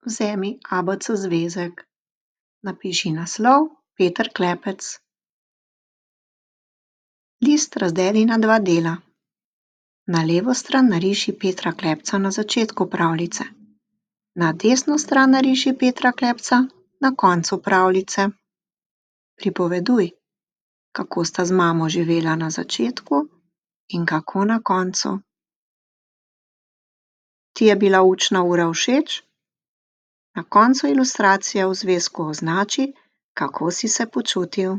Vzemi ABC zvezek. Napiši naslov Peter Klepec. List razdeli na dva dela. Na levo stran nariši Petra Klepca na začetku pravljice. Na desno stran nariši Petra Klepca na koncu pravljice. Pripoveduj, kako sta z mamo živela na začetku in kako na koncu. Ti je bila učna ura všeč? Na koncu ilustracije v zvezku označi, kako si se počutil.